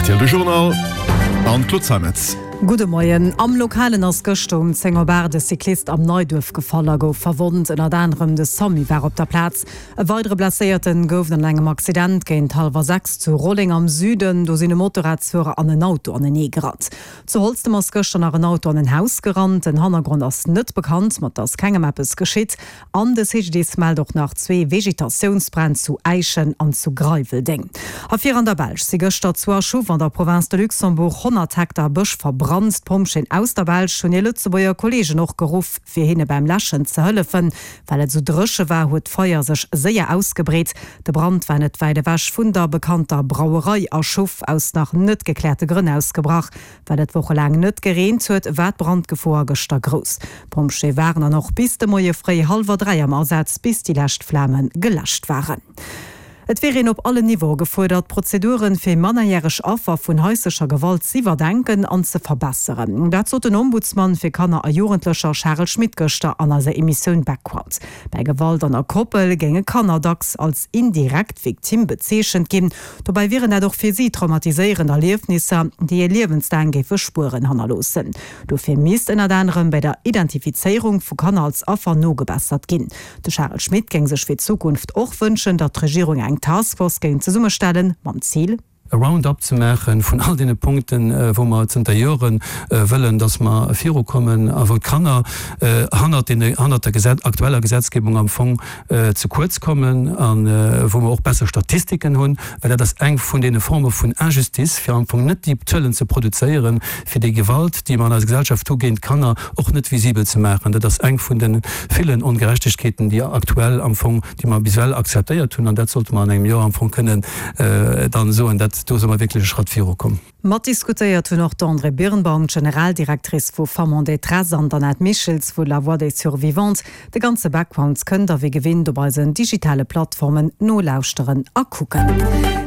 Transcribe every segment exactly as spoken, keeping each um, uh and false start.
R T L de Journal an d'Claude Zeimetz. Gudde Moien. Am Lokalen ass gëschter um zéng op aacht e Cyclist am Neiduerf gefall a gouf verwonnt. Ënnert anerem de Samu war op der Plaz. E weidere Blesséierten gouf et an engem Accident géint hallwer sechs zu Rolleng am Süden. Do sinn e Motorradsfuerer an en Auto anenee gerannt. Zu Holztem ass gëschter nach en Auto an en Haus gerannt. Den Hannergrond ass net bekannt, ma et ass kengem eppes geschitt. An de C G D I S mellt och nach zwee Vegetatiounsbränn zu Äischen an zu Greiweldeng. A fir an der Belsch si gëschter zu Achouffe an der Province de Luxembourg honnert Hektar Bësch verbrannt. D'Pompjeeën aus der Belsch hunn hir Lëtzebuerger Kolleegen och geruff, fir hinne beim Läschen ze hëllefen. Well et sou dréche war, huet d'Feier sech séier ausgebreet. De Brand war net wäit ewech vun der bekannter Brauerei Achouffe aus nach net gekläerte Grënn ausgebrach. Well et wochelaang net gereent huet, war d'Brandgefor gëschter grouss. D'Pompjeeë waren dann och bis de Moie fréi hallwer dräi am Asaz, bis déi lescht Flame geläscht waren. Et wier een op allen Niveaue gefuerdert, d'Prozeduren fir mannerjäreg Affer vun haislecher Gewalt z'iwwerdenken an ze verbesseren. Dat sot den Ombudsman fir Kanner a Jugendlecher Charel Schmit gëschter an eiser Emissioun Background. Bei Gewalt an der Koppel géinge Kanner dacks als indirekt Victime bezeechent ginn. Dobäi wieren dat och fir si traumatiséierend Erliefnisser, déi hir liewenslaang géife Spueren hannerloossen. Dofir misst ënnert anerem bei der Identifizéierung vu Kanner als Affer nogebessert ginn. De Charel Schmit géing sech fir d'Zukunft och wënschen, datt d'Regierung eng Taskforce géing zesummestellen, mam Zil, e Roundup ze maache vun all deene Punkten, wou mer zënter Joren wëllen, dass mer virukommen a wou d'Kanner hannert deene, hannert der Gesetz, aktueller Gesetzgebung am Fong ze kuerz kommen a wou mer och besser Statistiken hunn, well dat ass eng vun deene Forme vun Injustice, fir am Fong net déi Zuelen ze produzéieren, fir déi Gewalt, déi mer an eiser Gesellschaft hu géint d'Kanner, och net visibel ze maachen. Dat ass eng vun de villen Ongerechtegkeeten, déi aktuell am Fong, déi mer bis ewell akzeptéiert hunn, an dat sollte mer an engem Joer am Fong kënnen dann soen, dat do si mer wierklech e Schratt virukomm. Matdiskutéiert hunn och d'Andrée Birnbaum, d'Generaldirectrice vu Femmes en détresse, an d'Annette Michels vu La Voix des Survivantes. De ganze Background kënnt der wéi gewinnt op eisen digitale Plattformen nolauschteren a kucken.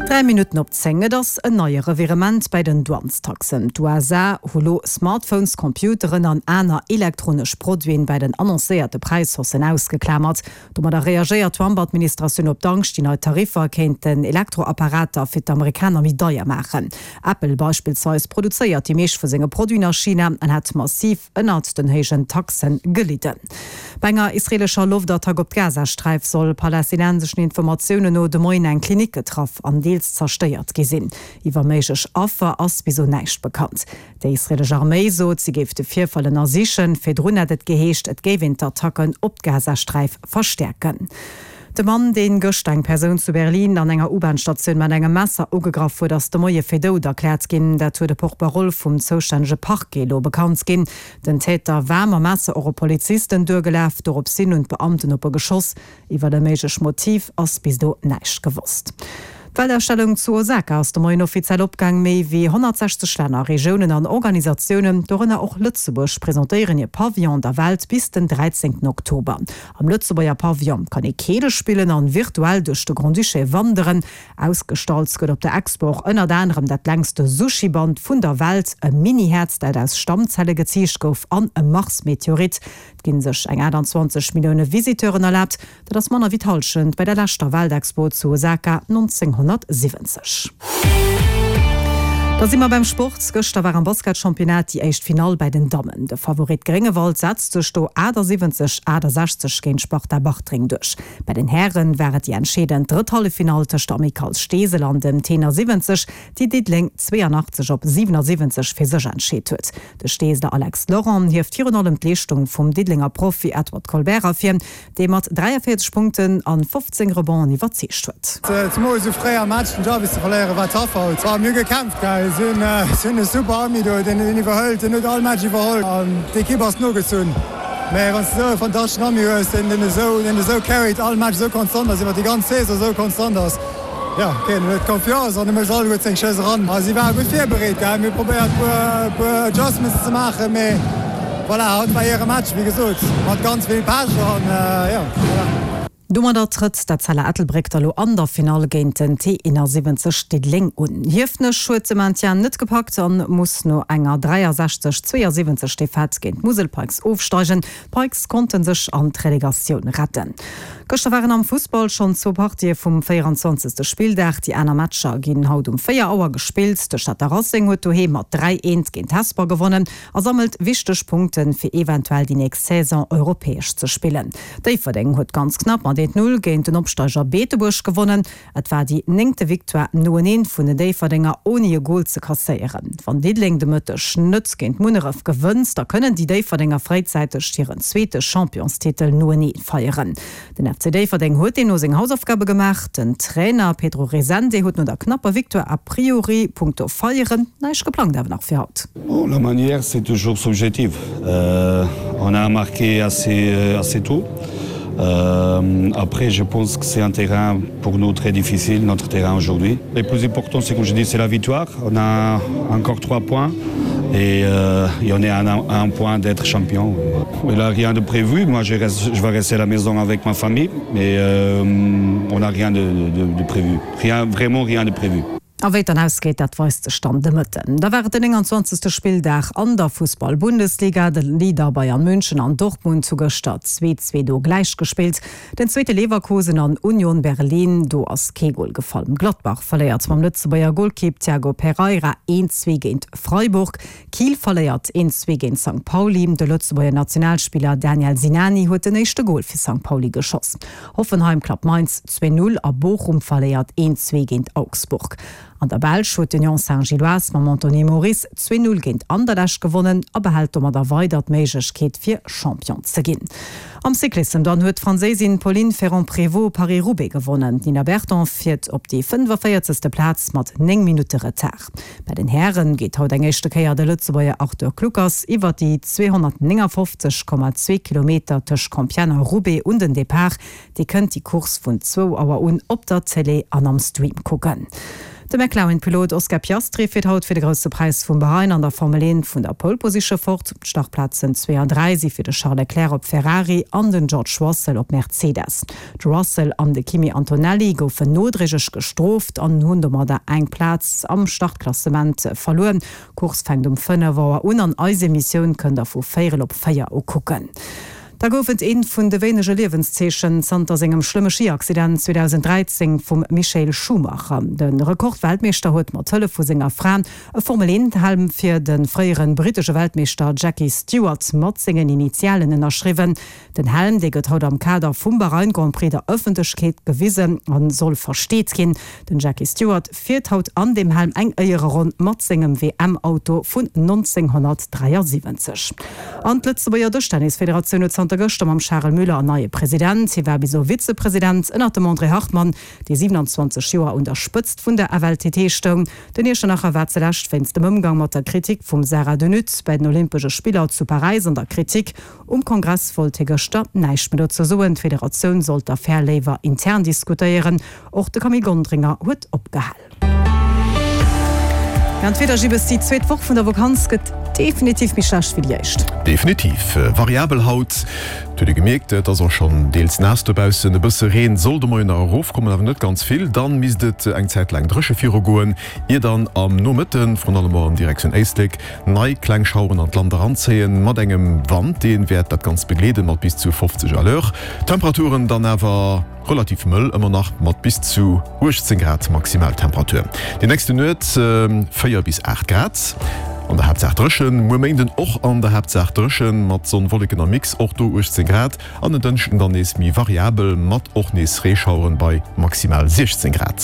Dräi Minutten op zéng. Et ass en neie Revirement bei den Douanestaxen. D'U S A hu lo Smartphones, Computeren an aner elektronesch Produiten bei den annoncéierte Präishaussen ausgeklamert. Domadder reagéiert d'Trump-Administratioun op d'Angscht, déi nei Tariffer kéinten Elektroapparater fir d'Amerikaner méi deier maachen. Apple beispillsweis produzéiert déi meescht vu senge Produiten a China an hätt massiv ënnert den héijen Taxe gelidden. Bei enger israeelescher Loftattack op d'Gazasträif soll palästinenseschen Informatiounen no de Moien eng Klinik getraff an deels zerstéiert gi sinn. Iwwer méiglech Affer ass bis elo näischt bekannt. Déi israeelesch Arméi sot, si géif de Virfall ënnersichen. Virdrun hat et geheescht, et géif een d'Attacken op d'Gazasträif verstäerken. De Mann, deen gëschter eng Persoun zu Berlin an enger U-Bahn-Statioun mat engem Messer ugegraff huet, ass de Moie fir dout erkläert ginn. Dat huet de Porte-parole vum zoustännege Parquet elo bekannt ginn. Den Täter war mam Messer och op Polizisten duergelaf, doropshin hunn d'Beamten op e geschoss. Iwwer e méiglecht Motiv ass bis elo näischt gewosst. D'Weltausstellung zu Osaka ass de Moien offiziell opgaang. Méi wéi honnertsechzeg Länner, Regiounen an Organisatiounen, dorënner och Lëtzebuerg, presentéieren hir Pavillon der Welt bis den dräizéngten Oktober. Am Lëtzebuerger Pavillon kann ee Keele spillen an virtuell duerch de Grand-Duché wanderen. Ausgestallt gëtt op der Expo och ënnert anerem dat längste Sushi-Band vun der Welt, e Mini-Häerz, dat aus Stammzelle geziicht gouf, an e Mars-Meteorit. Et ginn sech eng aachtanzwanzeg Millioune Visiteuren erlaabt, dat ass manner wéi d'Hallschent bei der leschter Weltexpo zu Osaka nonzénghonnertsiwwenzeg. Da si mer beim Sport. Gëschter war am Basketchampionnat déi éischt Finall bei den Dammen. De Favorit Gréngewald setzt sech do achtasiwwenzeg, aachtasechzeg géint Sparta Bartreng duerch. Bei den Hären war et déi entscheedend drëtt Halleffinall tëscht der Amicale Steesel an dem Tenor siwwenzeg, déi Diddeleng zweeanachtzeg op siwenasiwwenzeg fir sech entscheet huet. De Steeseler Alex Laurent hieft virun allem d'Leeschtung vum Diddelenger Profi Edward Colbert ervir, dee mat dräiavéierzeg Punkten an fofzéng Rebonds iwwerzeegt huet. Zemools esou fréi am Match den Jarvis ze verléieren, war tough haut. Mir hu gekämpft, gell. Si hunn e super Ami do, deen en iwwerhëlt, deen huet all Match iwwerholl an d'Ekipp ass nogezunn. Mä wann s de esou e fantasteschen Ami hues, deen deen esou, deen esou carryt, all Match esou konstant ass, iwwer déi ganz Saison esou konstant ass, jo, okay, en huet Confiance an e mécht alleguer seng Schëss eran. A si ware gutt virbereet, gell. Mir hu probéiert, e puer Adjustments ze maachen, mee voilà, haut war hire Match, wéi gesot, mat ganz vill Pech an, jo, voilà. Domadder trëtt d'Etzella Ettelbréck da lo an der Finall géint den T eenasiwwenzeg Diddeleng un. Hiefenech huet de Maintien net gepackt an muss no enger dräiasechzeg, zweeasiwwenzeg Defaite géint d'Musel Pikes ofsteigen. D'Pikes konnte sech an d'Relegatioun retten. Gëschter waren am Fussball schonn zwou Partië vum véieranzwanzegste Spilldag. Déi aner Matcher ginn haut um véier Auer gespillt. De Stater Racing huet doheem mat dräi, eent géint Hesper gewonnen a sammelt wichteg Punkten, fir eventuell déi nächst Saison europäesch ze spillen. Déifferdeng huet ganz knapp mat eent, null géint den Opsteiger Beetebuerg gewonnen. Et war déi néngte Victoire noeneen vun den Déifferdenger ouni e Gol ze kasséieren. Wann Diddeleng de Mëtteg net géint Munneref gewënnt, da kënnen déi Déifferdenger fréizäiteg hiren zweete Championstitel noenee feieren. Den F C Déifferdeng huet deemno seng Hausaufgabe gemaach. Den Trainer Pedro Resende huet no der knapper Victoire a priori punkto Feieren näischt geplangt awer nach fir haut. Bon, la manière c'est toujours subjective. On a marqué assez assez tôt. Après je pense que c'est un terrain pour nous très difficile, notre terrain aujourd'hui. Le plus important c'est comme je dis c'est la victoire. On a encore trois points et et on est à un point d'être champion. Il a rien de prévu, moi je reste, je vais rester à la maison avec ma famille mais on n'a rien de de de prévu, rien, vraiment rien de prévu. A wéi et dann ausgeet, dat weist sech dann de Mëtten. Da war et den nénganzwanzegste Spilldag an der Fussball-Bundesliga. De Leader Bayern München an Dortmund hu gëschter zwee zwee do gläich gespillt. Den zweete Leverkusen an Union Berlin, do ass kee Gol gefall. Gladbach verléiert mam Lëtzebuerger Golkipp Thiago Pereira een zwee géint Freiburg. Kiel verléiert een zwee géint Sankt Pauli. De Lëtzebuerger Nationalspiller Daniel Sinani huet den éischte Gol fir Sankt Pauli geschoss. Hoffenheim klappt Mainz zwee null a Bochum verléiert een zwee géint Augsburg. An der Belsch huet d'Union Saint-Gilloise mam Anthony Moris zwee null géint Anderlecht gewonnen a behält domadder weider d'Méiglechkeet fir Champion ze ginn. Am Cyclissem dann huet d'Franséisin Pauline Ferrand-Prévot Paris-Roubaix gewonnen. D'Nina Berton fiert op déi fënnefaféierzegste Plaz mat néng Minutte Retard. Bei den Häre geet haut eng éischte Kéier de Lëtzebuerger Arthur Kluckers iwwer déi zweehonnertnéngafofzeg Komma zwee Kilometer tëscht Compiègne a Roubaix un den Depart. Dir kënnt déi Course vun zwou Auer un op der Télé an am Stream kucken. De McLaren-Pilot Oscar Piastri fiert haut fir de Grousse Präis vum Bahrain an der Formel eent vun der Pole Position fort. D'Startplazen zwee an dräi si fir de Charles Leclerc op Ferrari an den George Russell op Mercedes. De Russell an de Kimi Antonelli goufen nodréiglech gestrooft an hunn domadder eng Plaz am Startklassement verluer. D'Course fänkt um fënnef Auer un an eis Emissioun kënnt der vu véierel op véier u kucken. Da gouf et eent vun de wéinege Liewenszeechen zanter sengem schlëmme Schi-Accident zweedausend dräizéng vum Michael Schumacher. De Rekordweltmeeschter huet mat Hëllef vu senger Fra e Formel-eent-Helm fir de fréiere brittesche Weltmeeschter Jackie Stewart mat sengen Initialen ënnerschriwwen. Den Helm, dee gëtt haut am Kader vum Bahrain Grand Prix der Ëffentlechkeet gewisen a soll versteet ginn. Den Jackie Stewart fiert haut an deem Helm eng Éiereronn mat sengem W M-Auto vun nonzénghonnertdräiasiwwenzeg. An d'Lëtzebuerger Dëschtennisfederatioun huet zanter gëschter mam Charel Müller en neie President. Hie war bis elo Vizepresident ënnert dem André Hartmann, dee siewenanzwanzeg Joer un der Spëtzt vun der F L T T stoung. Den Iechternacher war zelescht wéinst dem Ëmgang mat der Kritik vum Sarah De Nutte bei den Olympesche Spiller zu Paräis an der Kritik. Um Kongress wollt hie gëschter näischt méi dozou soen. D'Federatioun sollt d'Affär léiwer intern diskutéieren. Och de Camille Gondringer huet opgehal. An d'Wieder, Gibbes, Déi zweet Woch vun der Vakanz gëtt definitiv méi schlecht wéi déi éischt. Definitiv. Variabel haut. Et huet ee gemierkt, et ass och schonn deels naass dobaussen. E bësse Reen soll de Moien nach erofkommen, awer net ganz vill. Dann misst et eng Zäit laang dréche virugoen, ier dann am Nomëtten, vrun allem och an Direktioun Éislek, nei kleng Schaueren an d'Land eranzéien, mat engem Wand, dee wäert dat Ganzt begleeden, mat bis zu fofzeg à l'heure. D'Temperaturen dann awer relativ mëll ëmmer nach, mat bis zu uechtzéng Grad Maximaltemperatur. Déi nächste Nuet véier bis aacht Grad, an der Haaptsaach dréchen. Muer Méinden och an der Haaptsaach dréchen, mat Sonn, Wolleken am Mix, och do uechtzéng Grad. An en Dënschden dann nees méi variabel, mat och nees Reeschaueren bei maximal siechzéng Grad.